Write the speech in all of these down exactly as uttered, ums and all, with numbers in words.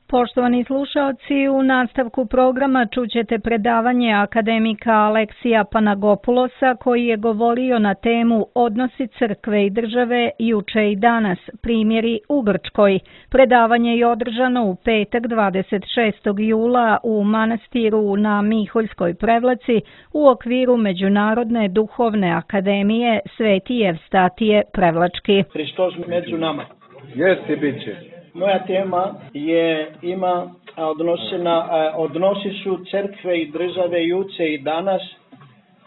Poštovani slušaoci, u nastavku programa čućete predavanje akademika Aleksija Panagopulosa koji je govorio na temu Odnosi crkve i države juče i danas, primjeri u Grčkoj. Predavanje je održano u petak dvadeset šestog jula u manastiru na Miholjskoj Prevlaci u okviru Međunarodne duhovne akademije Sveti Evstatije Prevlački. Hristos među nama. Jeste bit će. Moja tema je ima odnosi, na, odnosi su crkve i države juče i danas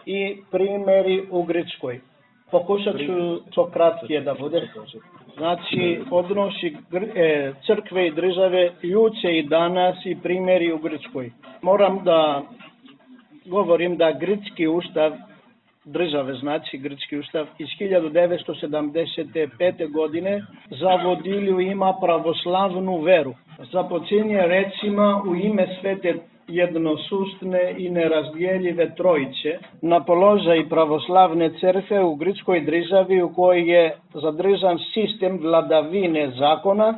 i primjeri u Grčkoj. Pokušat ću to kratkije da bude. Znači, odnosi crkve i države juče i danas i primjeri u Grčkoj. Moram da govorim da Grčki ustav države, znači Grčki ustav iz hiljadu devetsto sedamdeset pete. godine za vodilju ima pravoslavnu veru. Započinje recima u ime svete jednosustne i nerazdjeljive trojice na položaj pravoslavne crkve u Grčkoj državi u kojoj je zadržan sistem vladavine zakona,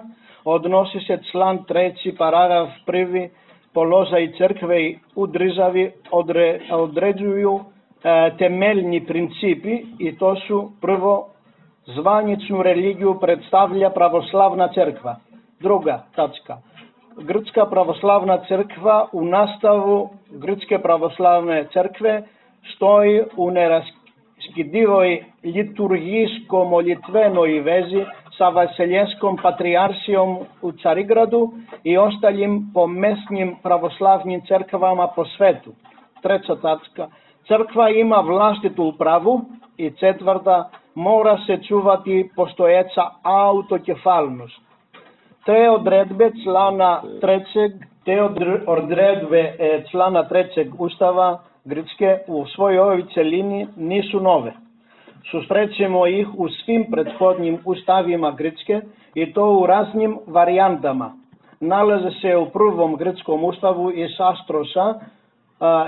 odnosi se član treći paragraf prvi položaj crkve u državi odre, određuju temeljni principi i to su prvo zvaničnu religiju predstavlja pravoslavna crkva. Druga tačka. Grčka pravoslavna crkva u nastavu Grčke pravoslavne crkve stoji u neraskidivoj liturgijsko-molitvenoj vezi sa Vaseljenskom patrijaršijom u Carigradu i ostalim pomesnim pravoslavnim crkvama po svetu. Treća tačka. Crkva ima vlastitu upravu i četvrta, mora se čuvati postojeća autokefalnost. Te odredbe člana trećeg, te odredbe člana trećeg ustava Grčke u svojoj ovoj celini nisu nove. Susrećemo ih u svim prethodnim ustavima Grčke i to u raznim varijantama. Nalaze se u prvom grčkom ustavu iz Astrosa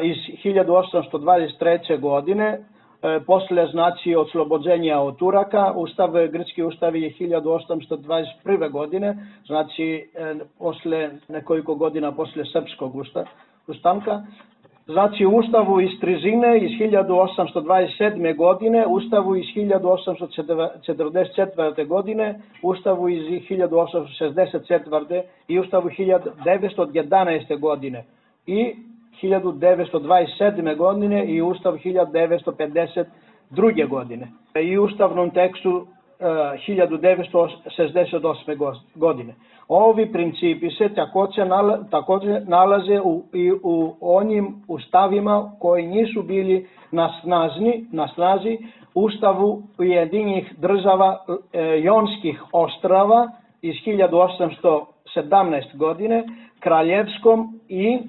iz hiljadu osamsto dvadeset treće. godine, posle znači oslobođenja od Turaka. Ustav, grčki ustav je hiljadu osamsto dvadeset prve. godine, znači posle nekoliko godina posle srpskog ustanka. Znači ustavu iz Trizine iz hiljadu osamsto dvadeset sedme. godine, ustavu iz hiljadu osamsto četrdeset četvrte. godine, ustavu iz hiljadu osamsto šezdeset četvrte. i ustavu hiljadu devetsto jedanaeste. godine i hiljadu devetsto dvadeset sedme. godine i ustav hiljadu devetsto pedeset druge. godine i ustavnom tekstu uh, hiljadu devetsto šezdeset osme. godine. Ovi principi se također, nala, također nalaze u, i u onim ustavima koji nisu bili na, snazni, na snazi ustavu Ujedinjenih država e, Jonskih ostrava iz hiljadu osamsto sedamnaeste. godine, kraljevskom i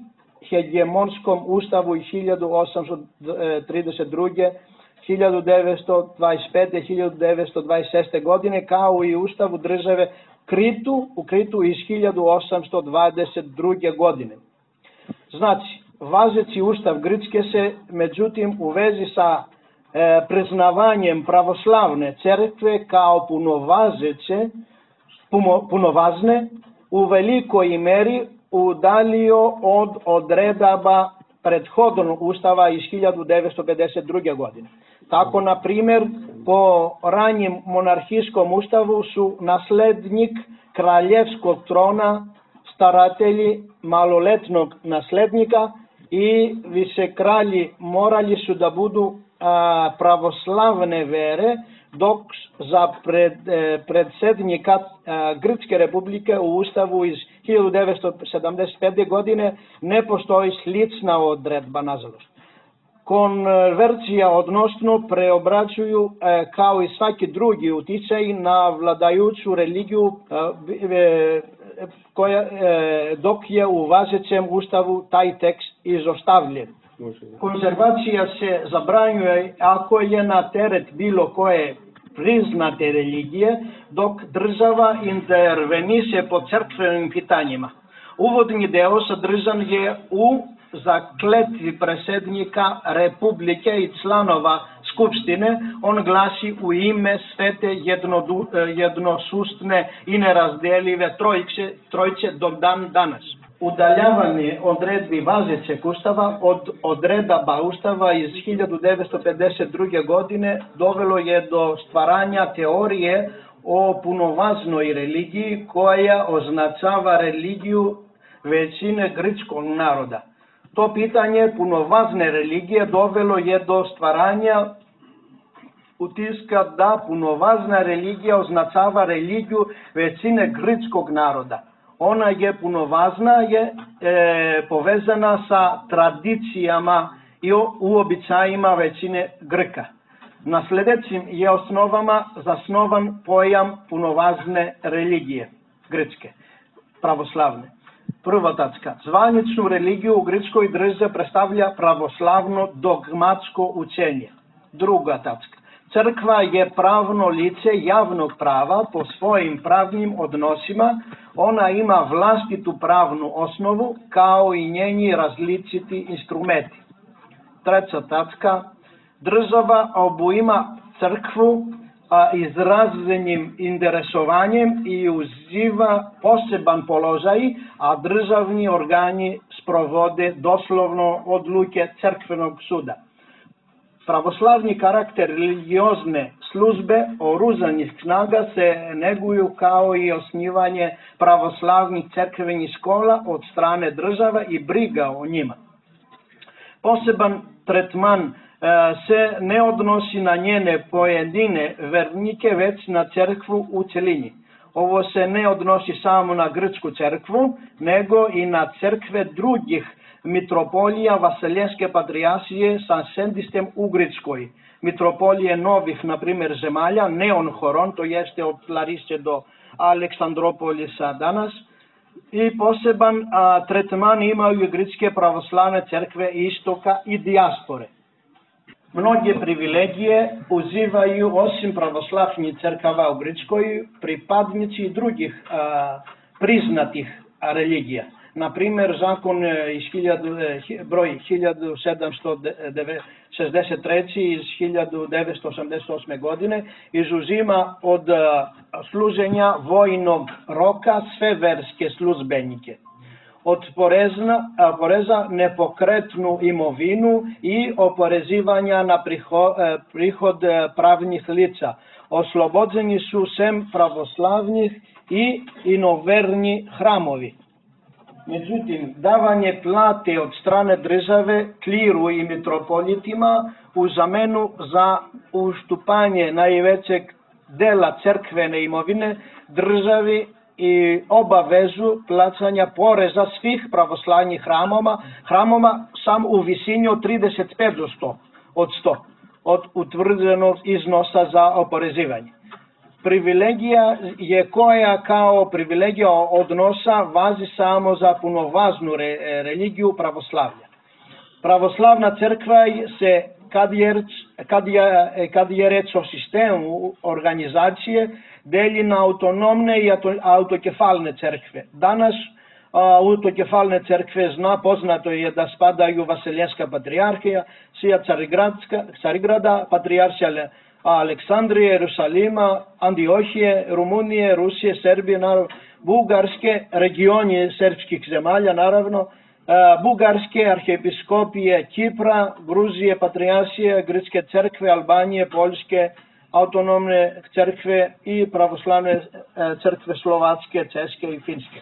hegemonskom ustavu iz hiljadu osamsto trideset druge. hiljadu devetsto dvadeset pete. hiljadu devetsto dvadeset šeste. godine, kao i ustavu države Kritu, u Kritu iz hiljadu osamsto dvadeset druge. godine. Znači, važeći ustav Grčke se, međutim, u vezi sa e, priznavanjem pravoslavne crkve kao punovažeće, puno, punovažne, u velikoj meri udalio od odredaba prethodnog ustava iz hiljadu devetsto pedeset druge. godine. Tako, na primjer, po ranjem monarhijskom ustavu su naslednik kraljevskog trona staratelji maloletnog naslednika i vicekralji morali su da budu a, pravoslavne vere, dok za pred, e, predsjednika a, Grčke republike u ustavu iz hiljadu devetsto sedamdeset pete. godine ne postoji slična odredba, nažalost. Konverzija odnosno preobraćuju e, kao i svaki drugi uticaj na vladajuću religiju e, e, koja, e, dok je u važećem ustavu taj tekst izostavljen. Konzervacija se zabranjuje ako je na teret bilo koje priznate religije, dok država interveniše po crkvenim pitanjima. Uvodni deo sadržan je u zakletvi predsjednika Republike i članova skupštine, on glasi u ime svete jednodu, jednosustne i nerazdelive trojče, trojče do dan danas. Udaljavanje odredbi važećeg ustava od odredaba ustava iz hiljadu devetsto pedeset druge. godine dovelo je do stvaranja teorije o punovažnoj religiji koja označava religiju većine grčkog naroda. To pitanje punovažne religije dovelo je do stvaranja utiska da punovažna religija označava religiju većine grčkog naroda. Ona je punovažna, je e, povezana sa tradicijama i uobičajima većine Grka. Na sljedećim je osnovama zasnovan pojam punovažne religije grčke, pravoslavne. Prva tačka. Zvaničnu religiju u grčkoj državi predstavlja pravoslavno dogmatsko učenje. Druga tačka. Crkva je pravno lice javnog prava po svojim pravnim odnosima. Ona ima vlastitu pravnu osnovu kao i njeni različiti instrumenti. Treća tačka. Država obujma crkvu a, izraženim interesovanjem i uživa poseban položaj, a državni organi sprovode doslovno odluke crkvenog suda. Pravoslavni karakter religiozne službe oružanih snaga se neguju kao i osnivanje pravoslavnih crkvenih škola od strane države i briga o njima. Poseban tretman e, se ne odnosi na njene pojedine vernike, već na crkvu u cjelini. Ovo se ne odnosi samo na grčku crkvu, nego i na crkve drugih mitropolija Vaseljenske patrijaršije sa sedištem u Grčkoj. Mitropolije novih, na primjer, zemalja, Neon-Horon, to jeste od Lariše do Aleksandropolisa danas. I poseban a, tretman imaju grčke pravoslavne crkve istoka i dijaspore. Mnoge privilegije uživaju osim pravoslavnih crkava u Grčkoj pripadnici drugih a, priznatih a, religija. Na primjer, zakon iz hiljadu, broj hiljadu sedamsto šezdeset tri. iz hiljadu devetsto osamdeset osme. godine izuzima od služenja vojnog roka sve verske službenike. Od poreza, poreza nepokretnu imovinu i oporezivanja na prihod, prihod pravnih lica. Oslobođeni su sem pravoslavnih i inoverni hramovi. Međutim, davanje plate od strane države, kliru i mitropolitima u zamenu za ustupanje najvećeg dela crkvene imovine državi i obavezu plaćanja poreza svih pravoslavnih hramova, hramova sam u visini od trideset pet do sto, od sto, od utvrđenog iznosa za oporezivanje. Privilegija je koja kao privilegija odnosa važi samo za punovažnu re, religiju pravoslavlja. Pravoslavna crkva se, kad je, kad je, kad je reč o sistemu organizacije, deli na autonomne i autokefalne crkve. Danas autokefalne crkve zna, poznato je da spadaju Vaseljenska patrijarhija, Sija Carigrada, patrijaršija Aleksandrije, Jerusalima, Antiohije, Rumunije, Rusije, Srbije, naravno, Bugarske, regionje srpskih zemalja, naravno, Bugarske, arhiepiskopije Kipra, Gruzije, patrijaršije, Grčke crkve, Albanije, Poljske, autonomne crkve i pravoslavne crkve Slovačke, Češke i Finske.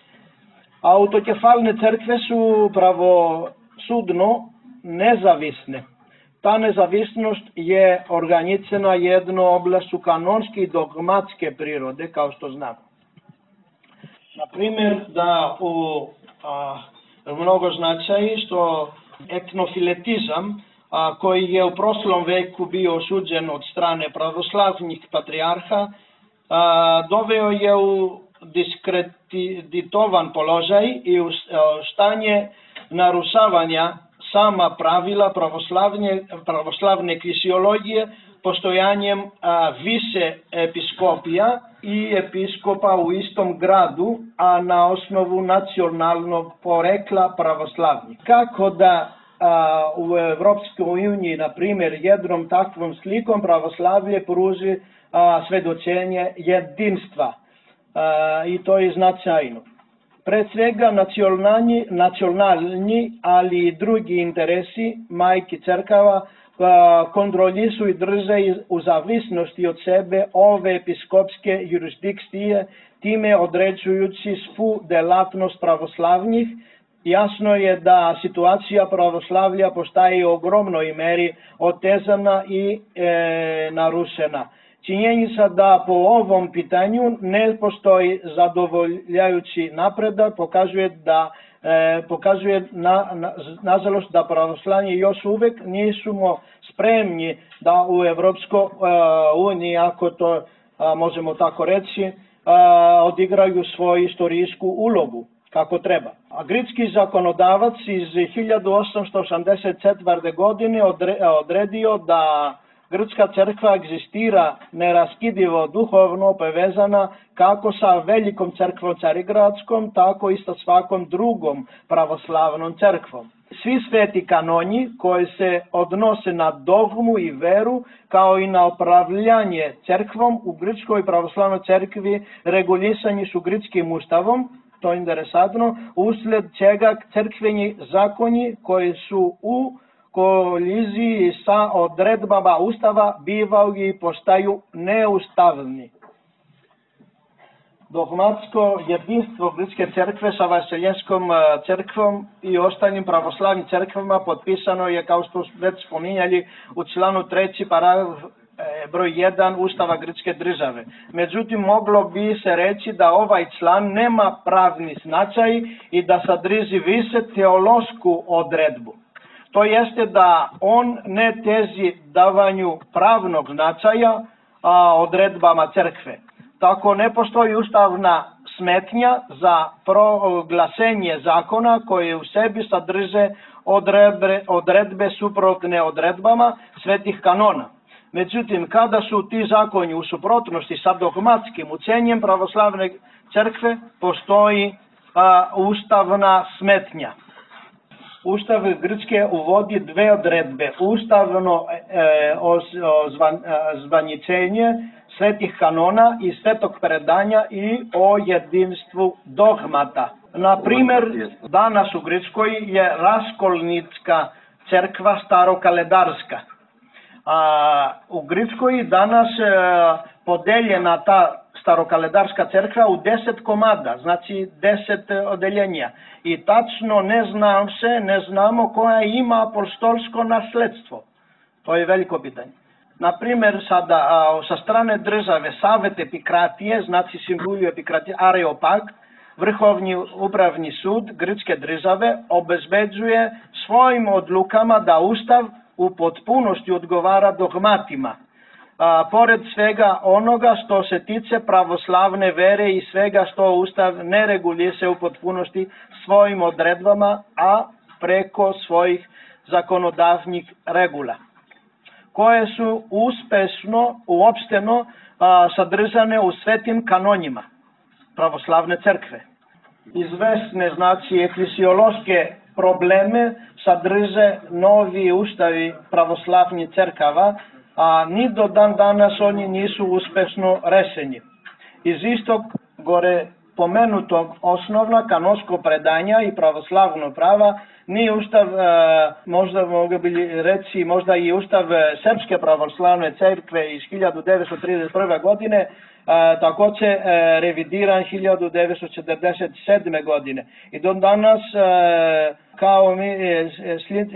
Autokefalne crkve su pravosudno nezavisne. Ta nezavisnost je organizirana jedno oblastu kanonske i dogmatske prirode, kao što znamo. Na primjer, da u a, mnogo značaji što etnofiletizam, a, koji je u prošlom veku bio osuđen od strane pravoslavnih patrijarha, a, doveo je u diskreditovan položaj i u stanje narušavanja sama pravila pravoslavne, pravoslavne krisiologije postojanjem a, više episkopija i episkopa u istom gradu, a na osnovu nacionalnog porekla pravoslavnih. Kako da a, u Evropskoj uniji, na primjer, jednom takvom slikom pravoslavlje pruži a, svedočenje jedinstva a, i to je značajno. Pre svega nacionalni, nacionalni, ali i drugi interesi majki crkava kontrolišu i drže u zavisnosti od sebe ove episkopske jurisdikcije, time određujući svu delatnost pravoslavnih. Jasno je da situacija pravoslavlja postaje u ogromnoj meri otezana i e, narušena. Činjenica da po ovom pitanju ne postoji zadovoljavajući napredak pokazuje da e, pokazuje na, na, nažalost da pravoslavni još uvek nismo spremni da u Evropskoj uniji, ako to a, možemo tako reći, a, odigraju svoju istorijsku ulogu kako treba. A grčki zakonodavac iz hiljadu osamsto osamdeset četvrte. godine odredio da grčka crkva egzistira neraskidivo duhovno povezana kako sa velikom crkvom Carigradskom, tako i sa svakom drugom pravoslavnom crkvom. Svi sveti kanoni koji se odnose na dogmu i veru, kao i na upravljanje crkvom u grčkoj pravoslavnoj crkvi regulisani su grčkim ustavom, to je interesantno, usled čega crkveni zakoni koji su u koliziji sa odredbama ustava bivaju i postaju neustavni. Dogmatsko jedinstvo grčke crkve sa Vaseljenskom crkvom i ostalim pravoslavnim crkvama potpisano je, kao što već spominjali, u članu treći paragraf broj jedan Ustava grčke države. Međutim, moglo bi se reći da ovaj član nema pravni značaj i da sadrži više teološku odredbu. To jeste da on ne teži davanju pravnog značaja a, odredbama crkve. Tako ne postoji ustavna smetnja za proglasenje zakona koje u sebi sadrže odredbe, odredbe suprotne odredbama svetih kanona. Međutim, kada su ti zakoni u suprotnosti sa dogmatskim učenjem pravoslavne crkve, postoji a, ustavna smetnja. Ustav Grčke uvodi dve odredbe, ustavno e, ozvaničenje svetih kanona i svetog predanja i o jedinstvu dogmata. Na primjer, danas u Grčkoj je raskolnička crkva starokaledarska. A, u Grčkoj danas e, podeljena ta starokaledarska crkva u deset komada, znači deset odeljenja. I tačno ne znam se, ne znamo koja ima apostolsko nasledstvo. To je veliko pitanje. Na primjer, sada a, sa strane države Savet Epikratije, znači simbolu Epikratije, Areopag, Vrhovni upravni sud grčke države obezbeđuje svojim odlukama da ustav u potpunosti odgovara dogmatima. A, pored svega onoga što se tiče pravoslavne vere i svega što ustav ne regulise u potpunosti svojim odredbama, a preko svojih zakonodavnih regula, koje su uspešno, uopšteno a, sadržane u svetim kanonima pravoslavne crkve. Izvesne, znači, eklesiološke probleme sadrže novi ustavi pravoslavnih crkava, a ni do dan danas oni nisu uspešno rešeni. Iz istog gore pomenutog osnovna kanonsko predanja i pravoslavno prava ni ustav, možda mogu bi reći, možda i ustav Srpske pravoslavne crkve iz hiljadu devetsto trideset prve. godine, takođe revidiran hiljadu devetsto četrdeset sedme. godine. I do danas, kao, mi,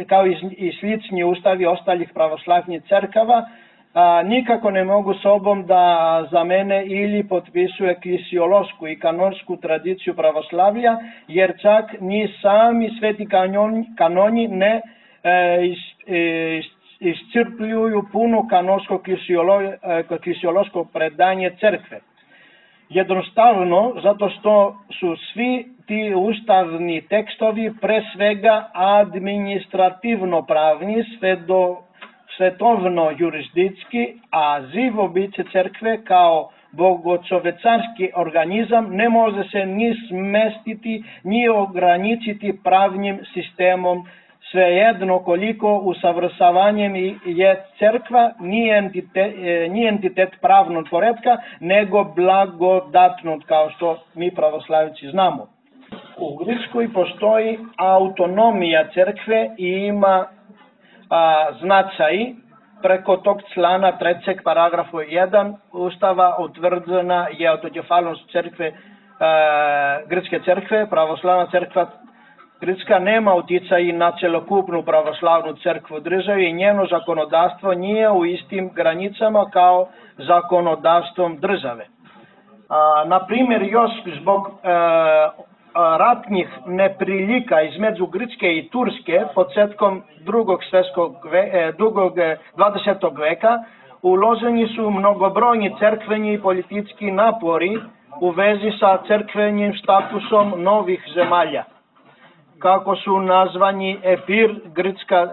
kao i slični ustavi ostalih pravoslavnih crkava, a, nikako ne mogu sobom da zamene ili potpisuje eklesiološku i kanonsku tradiciju pravoslavlja, jer čak ni sami sveti kanoni, kanoni ne e, is, e, iscrpljuju puno kanonsko eklesiološko predanje crkve. Jednostavno, zato što su svi ti ustavni tekstovi pre svega administrativno pravni, sve do svetovno jurisdikski, a živo biće crkve kao bogočovecarski organizam ne može se ni smestiti, ni ograničiti pravnim sistemom svejedno koliko usavršavanjem je crkva nije entitet, nije entitet pravnog poretka, nego blagodatnog, kao što mi pravoslavci znamo. U Grčkoj postoji autonomija crkve i ima a, značaj preko tog člana trećeg paragrafu jedan Ustava utvrđena je autokefalnost crkve, a, Grčke crkve. Pravoslavna crkva Grčka nema uticaj na celokupnu pravoslavnu crkvu u državi i njeno zakonodavstvo nije u istim granicama kao zakonodavstvom države. A, na primjer, još zbog a, ratnih neprilika između Grčke i Turske početkom drugog svjetskog ve, drugog dvadesetog veka uloženi su mnogobrojni crkveni i politički napori u vezi sa crkvenim statusom novih zemalja. Kako su nazvani Epir, Grčka, eh,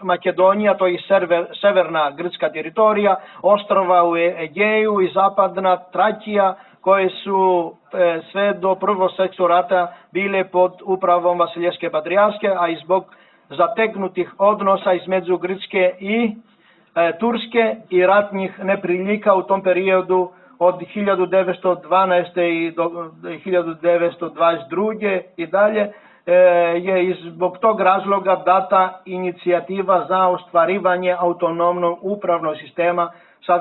Makedonija, to je sever, severna grčka teritorija, ostrova u Egeju i zapadna Trakija, koje su eh, sve do prvog svjetskog rata bile pod upravom Vasilijske patrijarske, a i zbog zategnutih odnosa između Grčke i eh, Turske i ratnih neprilika u tom periodu od hiljadu devetsto dvanaeste. i do hiljadu devetsto dvadeset druge i dalje, je zbog tog razloga data inicijativa za ostvarivanje autonomnog upravnog sistema sa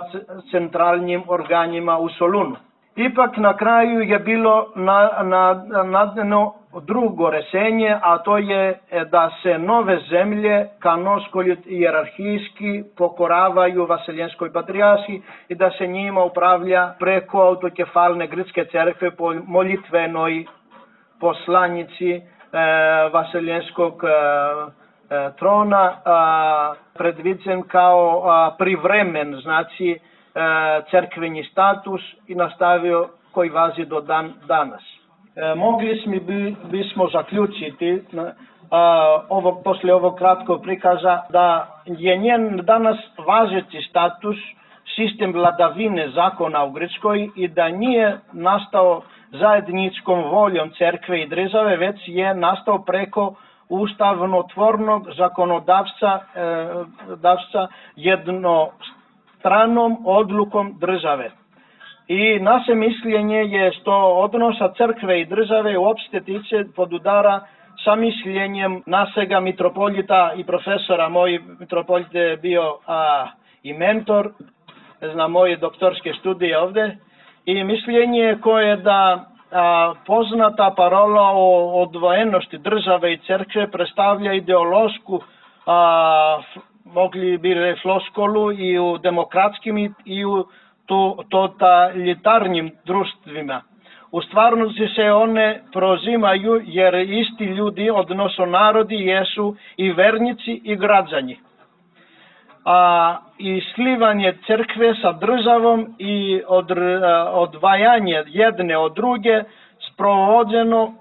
centralnim organima u Solunu. Ipak na kraju je bilo nadano drugo rešenje, a to je da se nove zemlje kanonsko hijerarhijski pokoravaju Vaseljenskoj patrijaršiji i da se njima upravlja preko autokefalne Grčke crkve po molitvenoj poslanici Vaseljenskog trona, predviđen kao privremen, znači crkveni status i nastavio koji važi do dan danas. Mogli smo bismo zaključiti ovog, posle ovog kratkog prikaza da je njen danas važeći status sistem vladavine zakona u Grčkoj i da nije nastao zajedničkom voljom crkve i države, već je nastao preko ustavnotvornog zakonodavstva davca jednostranom odlukom države. I naše mišljenje je što odnosa crkve i države uopšte tiče podudara sa mišljenjem našega mitropolita i profesora. Moj mitropolit je bio a, i mentor na moje doktorske studije ovde. I mišljenje koje je da a, poznata parola o odvojenosti države i crkve predstavlja ideološku, a, mogli bi reći floskolu i u demokratskim i u to, totalitarnim društvima. U stvarnosti se one prozimaju jer isti ljudi, odnosno narodi, jesu i vernici i građani. A i slivanje crkve sa državom i od, odvajanje jedne od druge sprovođeno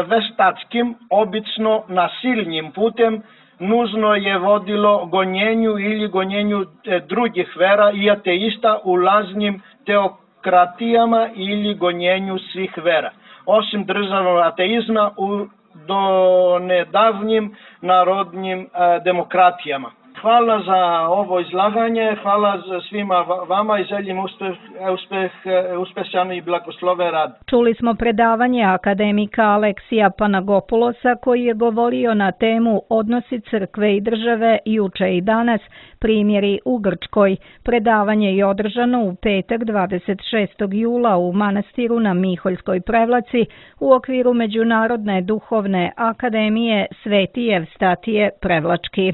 veštačkim, obično nasilnim putem, nužno je vodilo gonjenju ili gonjenju drugih vera i ateista u lažnim teokratijama ili gonjenju svih vera. Osim državnog ateizma u donedavnim narodnim demokratijama. Hvala za ovo izlaganje, hvala za svima vama i želim uspeh, uspeh, uspešan i blagosloven rad. Čuli smo predavanje akademika Aleksija Panagopulosa koji je govorio na temu odnosi crkve i države juče i danas, primjeri u Grčkoj. Predavanje je održano u petak dvadeset šestog jula u manastiru na Miholjskoj Prevlaci u okviru Međunarodne duhovne akademije Sveti Evstatije Prevlački.